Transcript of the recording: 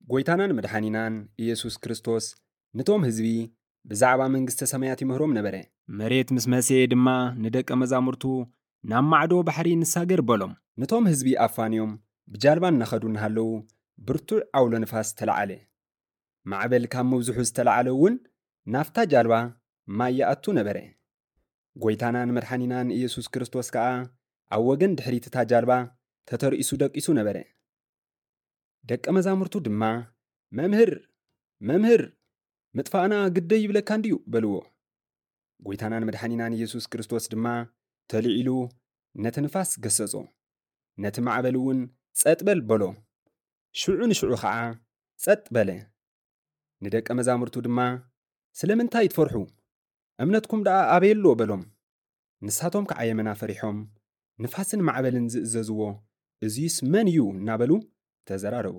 ጎይታናን መድሓኒናን ኢየሱስ ክርስቶስ ነቶም ህዝቢ ብዛዕባ መንግስተ ሰማያት ይምህሮም ነበረ። መሬት ምስ መሰየ ድማ ንደቀ መዛሙርቱ ናብ ማዕዶ ባሕሪ ንሳገር በሎም። ነቶም ህዝቢ ኣፋንዮም ብጃልባ እናኸዱ እናሃለዉ ብርቱዕ ዓውሎ ንፋስ ተለዓለ። ማዕበል ካብ ምብዝሑ ዝተለዓለ እውን ናብታ ጃልባ ማይ ይኣቱ ነበረ። ጎይታናን መድሓኒናን ኢየሱስ ክርስቶስ ከኣ ኣብ ወገን ድሕሪት እታ ጃልባ ተተርኢሱ ደቂሱ ነበረ። ደቀ መዛሙርቱ ድማ "መምህር፣ መምህር፣ ምጥፋእና ግደይ ይብለካ እንድዩ?" በልዎ። ጎይታናን መድሓኒናን ኢየሱስ ክርስቶስ ድማ ተልዒሉ ነቲ ንፋስ ገሰጾ። ነቲ ማዕበል እውን "ጸጥ በል" በሎ። ሽዑ ንሽዑ ኸዓ ጸጥ በለ። ንደቀ መዛሙርቱ ድማ "ስለምንታይ ትፈርሑ? እምነትኩም ደኣ ኣበይ ኣሎ?" በሎም። ንሳቶም ከዓ የመና ፈሪሖም፣ "ንፋስን ማዕበልን ዝእዘዝዎ እዙይስ መን እዩ?" እናበሉ ተዘራረቡ።